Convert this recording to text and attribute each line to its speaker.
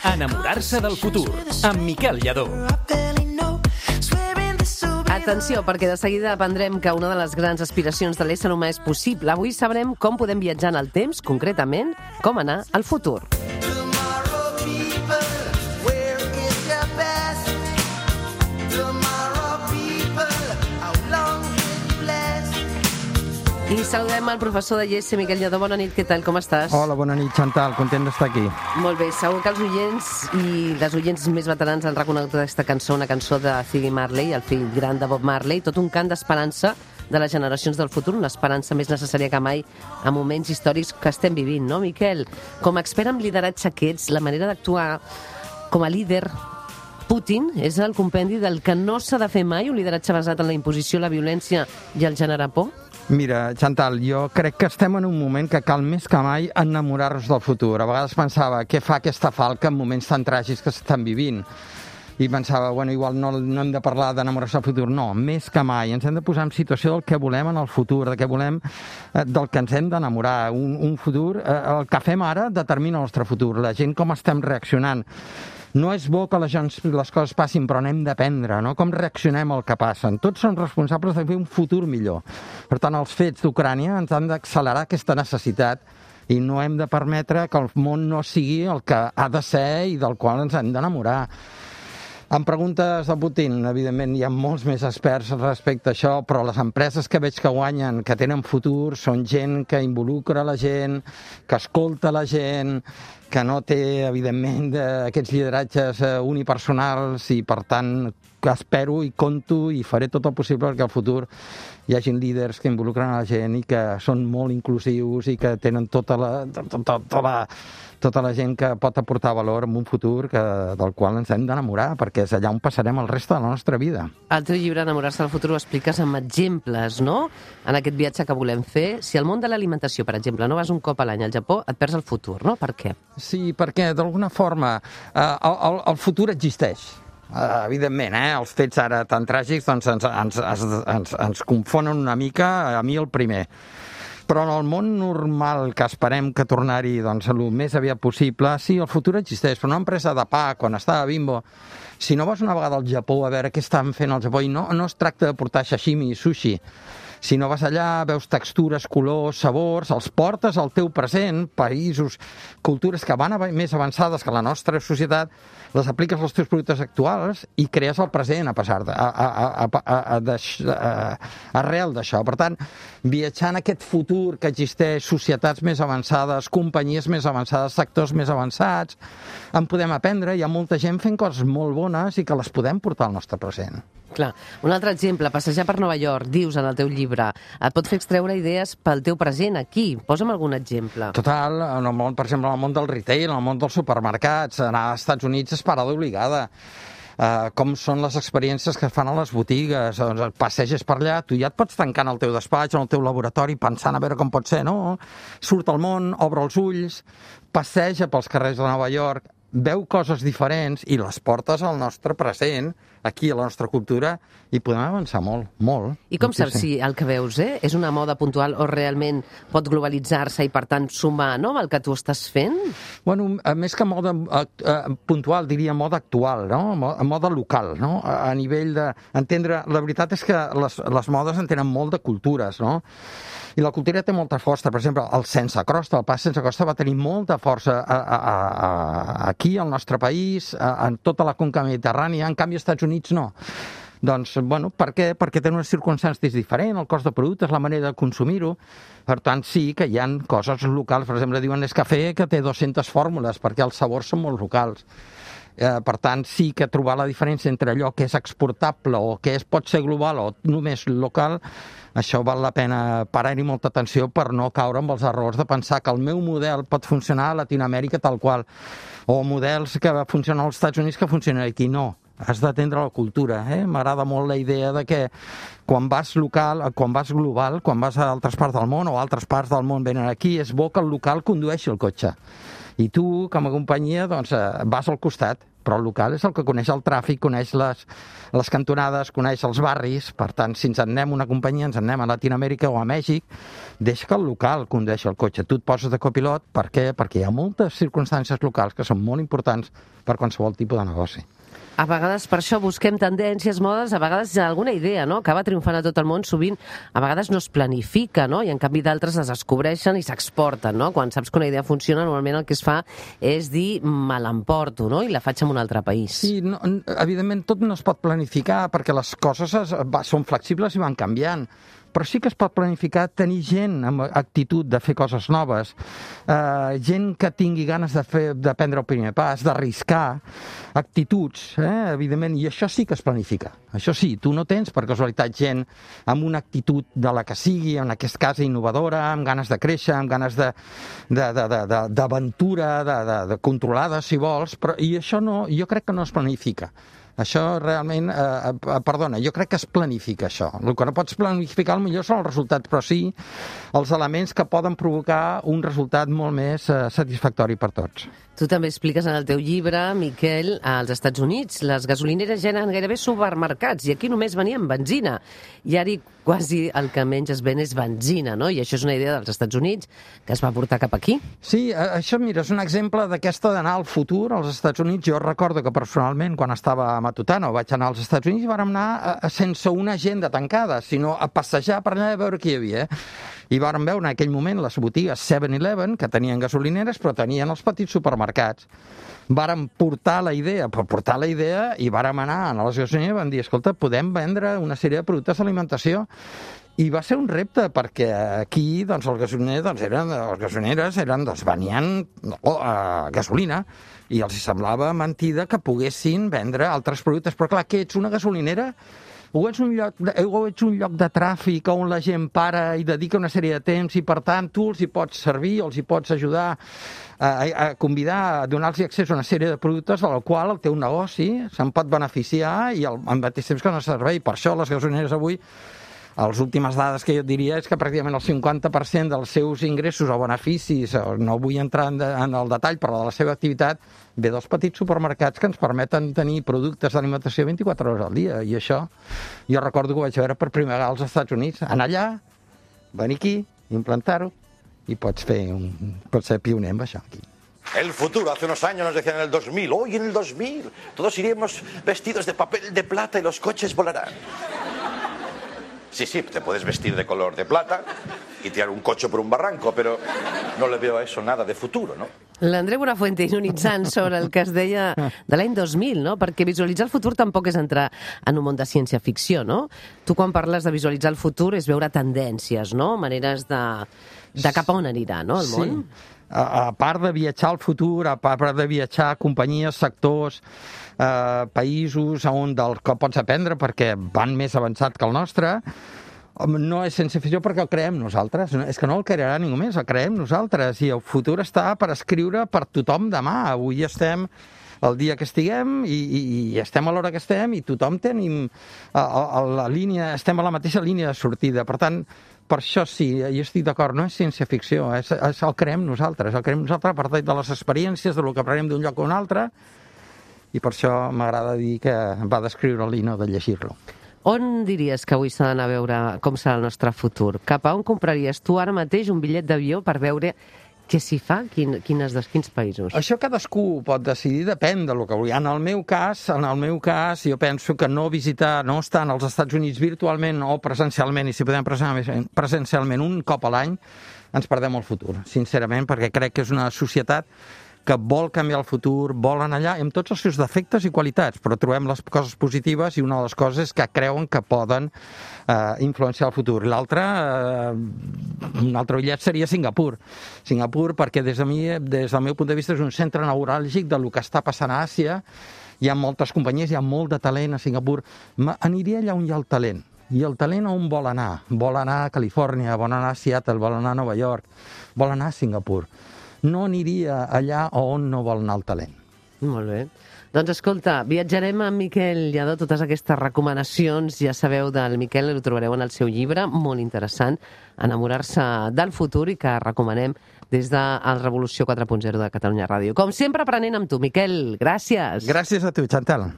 Speaker 1: Enamorar-se del futur, amb Miquel Lladó.
Speaker 2: Atenció, perquè de seguida aprendrem que una de les grans aspiracions de l'ésser humà és possible. Avui sabrem com podem viatjar en el temps, concretament, com anar al futur. I saludem el professor de IES, Miquel Lladó. Bona nit, què tal, com estàs?
Speaker 3: Hola, bona nit, Chantal, content d'estar aquí.
Speaker 2: Molt bé, segur que els oients i les oients més veterans han reconegut aquesta cançó, una cançó de Ziggy Marley, el fill gran de Bob Marley, tot un cant d'esperança de les generacions del futur, una esperança més necessària que mai en moments històrics que estem vivint, no, Miquel? Com a expert en lideratge que ets, la manera d'actuar com a líder Putin és el compendi del que no s'ha de fer mai, un lideratge basat en la imposició, la violència i el generar por?
Speaker 3: Mira, Chantal, jo crec que estem en un moment que cal més que mai enamorar-nos del futur. A vegades pensava, què fa aquesta falca en moments tan tràgics que s'estan vivint? I pensava, bueno, igual no hem de parlar d'enamorar-se del futur. No, més que mai. Ens hem de posar en situació del que volem en el futur, del que volem, del que ens hem d'enamorar. Un futur, el que fem ara determina el nostre futur. La gent com estem reaccionant. No és bo que les coses passin, però n'hem d'aprendre, no? Com reaccionem al que passen. Tots som responsables de fer un futur millor. Per tant, els fets d'Ucrània ens han d'accelerar aquesta necessitat i no hem de permetre que el món no sigui el que ha de ser i del qual ens hem d'enamorar. Em preguntes de Putin, evidentment hi ha molts més experts respecte a això, però les empreses que veig que guanyen, que tenen futur, són gent que involucra la gent, que escolta la gent, que no té, evidentment, aquests lideratges unipersonals i, per tant, que espero i conto i faré tot el possible perquè al futur hi hagin líders que involucren a la gent i que són molt inclusius i que tenen tota la gent que pot aportar valor en un futur del qual ens hem d'enamorar, perquè és allà on passarem el reste de la nostra vida.
Speaker 2: Al teu llibre Enamorar-se del futur ho expliques amb exemples, no? En aquest viatge que volem fer. Si al món de l'alimentació, per exemple, no vas un cop a l'any al Japó, et perds el futur, no? Per què?
Speaker 3: Sí, perquè d'alguna forma el futur existeix. Evidentment, els fets ara tan tràgics doncs ens confonen una mica, a mi el primer. Però en el món normal que esperem que tornar-hi el més aviat possible, sí, el futur existeix, però una empresa de pa, quan estava a Bimbo, si no vas una vegada al Japó a veure què estan fent al Japó, i no es tracta de portar sashimi i sushi, si no vas allà, veus textures, colors, sabors, els portes al teu present, països, cultures que van més avançades que la nostra societat, les apliques als teus productes actuals i crees el present arrel d'això. Per tant, viatjar en aquest futur que existeix, societats més avançades, companyies més avançades, sectors més avançats, en podem aprendre, hi ha molta gent fent coses molt bones i que les podem portar al nostre present.
Speaker 2: Clar. Un altre exemple, passejar per Nova York, dius en el teu llibre, et pot fer extreure idees pel teu present aquí. Posa'm algun exemple.
Speaker 3: Total, en el món, per exemple, en el món del retail, en el món dels supermercats, anar als Estats Units és parada obligada. Com són les experiències que es fan a les botigues, passeges per allà, tu ja et pots tancar en el teu despatx, en el teu laboratori, pensant a veure com pot ser, no? Surt al món, obre els ulls, passeja pels carrers de Nova York, veu coses diferents i les portes al nostre present, aquí a la nostra cultura, i podem avançar molt, molt.
Speaker 2: I com saps si el que veus és una moda puntual o realment pot globalitzar-se i, per tant, sumar amb el que tu estàs fent?
Speaker 3: Bueno, més que moda puntual, diria moda actual, no? Moda local, no? A nivell d'entendre... La veritat és que les modes en tenen molt de cultures, no? I la cultura té molta força. Per exemple, el sense crosta, el pas sense crosta va tenir molta força aquí, al nostre país, en tota la conca mediterrània, en canvi als Estats Units no. Doncs, bueno, per què? Perquè tenen unes circumstàncies diferents, el cost de productes, la manera de consumir-ho. Per tant, sí que hi ha coses locals. Per exemple, diuen Nescafé que té 200 fórmules, perquè els sabors són molt locals. Per tant, sí que trobar la diferència entre allò que és exportable o que pot ser global o només local, això val la pena parar-hi molta atenció per no caure amb els errors de pensar que el meu model pot funcionar a Latinoamèrica tal qual, o models que funcionen als Estats Units que funcionen aquí. No, has d'atendre la cultura. M'agrada molt la idea de que quan vas local, quan vas global, quan vas a altres parts del món o altres parts del món venen aquí, és bo que el local condueixi el cotxe. I tu, com a companyia, doncs, vas al costat però el local és el que coneix el tràfic, coneix les cantonades, coneix els barris. Per tant, si ens en anem una companyia, ens en anem a Latinoamèrica o a Mèxic, deixa que el local condueixi el cotxe. Tu et poses de copilot, per què? Perquè hi ha moltes circumstàncies locals que són molt importants per qualsevol tipus de negoci.
Speaker 2: A vegades per això busquem tendències, modes, a vegades alguna idea, no?, acaba triomfant a tot el món, sovint a vegades no es planifica, no?, i en canvi d'altres es descobreixen i s'exporten, no? Quan saps que una idea funciona, normalment el que es fa és dir me l'emporto, no?, i la faig en un altre país.
Speaker 3: Sí, no, evidentment tot no es pot planificar perquè les coses són flexibles i van canviant. Però sí que es pot planificar tenir gent amb actitud de fer coses noves, gent que tingui ganes de prendre el primer pas, d'arriscar, actituds, evidentment, i això sí que es planifica. Això sí, tu no tens per casualitat gent amb una actitud de la que sigui, en aquest cas innovadora, amb ganes de créixer, amb ganes d'aventura, de controlada, si vols, però, i això no, jo crec que no es planifica. Això realment, perdona, jo crec que es planifica això. El que no pots planificar potser són els resultats, però sí els elements que poden provocar un resultat molt més satisfactori per tots.
Speaker 2: Tu també expliques en el teu llibre, Miquel, als Estats Units les gasolineres ja eren gairebé supermercats i aquí només venien benzina. I ara quasi el que menys es ven és benzina, no? I això és una idea dels Estats Units que es va portar cap aquí.
Speaker 3: Sí, això, mira, és un exemple d'aquesta d'anar al futur als Estats Units. Jo recordo que personalment, quan estava a Matutano, vaig anar als Estats Units i vàrem anar sense una agenda tancada, sinó a passejar per allà a veure què hi havia. I vàrem veure en aquell moment les botigues 7-Eleven, que tenien gasolineres, però tenien els petits supermercats. Vàrem portar la idea i vàrem anar a les gasolineres i vam dir, escolta, podem vendre una sèrie de productes d'alimentació. I va ser un repte, perquè aquí doncs, els gasolineres venien gasolina i els semblava mentida que poguessin vendre altres productes. Però clar, què ets, una gasolinera? O ets un lloc de tràfic on la gent para i dedica una sèrie de temps i, per tant, tu els hi pots servir, els hi pots ajudar a convidar, a donar-los accés a una sèrie de productes del qual el teu negoci se'n pot beneficiar i al mateix temps que no servei. Per això les gasolineres avui, les últimes dades que jo et diria és que pràcticament el 50% dels seus ingressos o beneficis, no vull entrar en el detall, però de la seva activitat, ve dels petits supermercats que ens permeten tenir productes d'alimentació 24 hores al dia. I això, jo recordo que ho vaig veure per primera vegada als Estats Units. Anar allà, venir aquí, implantar-ho, i pots ser pioner amb això aquí.
Speaker 4: El futuro, hace unos años nos decían en el 2000, hoy en el 2000 todos iremos vestidos de papel de plata y los coches volarán. Sí, te puedes vestir de color de plata y tirar un coche por un barranco, pero no le veo a eso nada de futuro, ¿no?
Speaker 2: L'Andreu Buenafuente ironitzant sobre el que es deia de l'any 2000, no? Perquè visualitzar el futur tampoc és entrar en un món de ciència-ficció, no? Tu quan parles de visualitzar el futur és veure tendències, no? Maneres de cap a on anirà, no, el món?
Speaker 3: Sí. A part de viatjar al futur, a part de viatjar a companyies, sectors, països del que pots aprendre perquè van més avançat que el nostre, no és sense ficció perquè el creem nosaltres. És que no el crearà ningú més, el creem nosaltres. I el futur està per escriure per tothom demà. Avui estem el dia que estiguem i estem a l'hora que estem i tothom tenim estem a la mateixa línia de sortida. Per tant, per això sí, jo estic d'acord, no és ciència-ficció, el creem nosaltres. El creem nosaltres a partir de les experiències, del que aprenem d'un lloc a un altre, i per això m'agrada dir que va descriure-lo i no de llegir-lo.
Speaker 2: On diries que avui s'ha d'anar a veure com serà el nostre futur? Cap a on compraries tu ara mateix un bitllet d'avió per veure què s'hi fa? Quins països?
Speaker 3: Això cadascú pot decidir, depèn del que vulgui. En el meu cas, jo penso que no estar als Estats Units virtualment o presencialment, i si podem presencialment un cop a l'any, ens perdem el futur, sincerament, perquè crec que és una societat que vol canviar el futur, volen allà, amb tots els seus defectes i qualitats, però trobem les coses positives i una de les coses és que creuen que poden influenciar el futur. L'altre, un altre bitllet seria Singapur. Singapur, perquè des del meu punt de vista és un centre neuràlgic del que està passant a Àsia. Hi ha moltes companyies, hi ha molt de talent a Singapur. Aniria allà on hi ha el talent. I el talent on vol anar? Vol anar a Califòrnia, vol anar a Seattle, vol anar a Nova York, vol anar a Singapur. No aniria allà on no vol anar el talent.
Speaker 2: Molt bé. Doncs escolta, viatjarem amb Miquel Lladó, totes aquestes recomanacions, ja sabeu del Miquel, ho trobareu en el seu llibre, molt interessant, Enamorar-se del futur, i que recomanem des de el Revolució 4.0 de Catalunya Ràdio. Com sempre, aprenent amb tu, Miquel. Gràcies.
Speaker 3: Gràcies a tu, Chantal.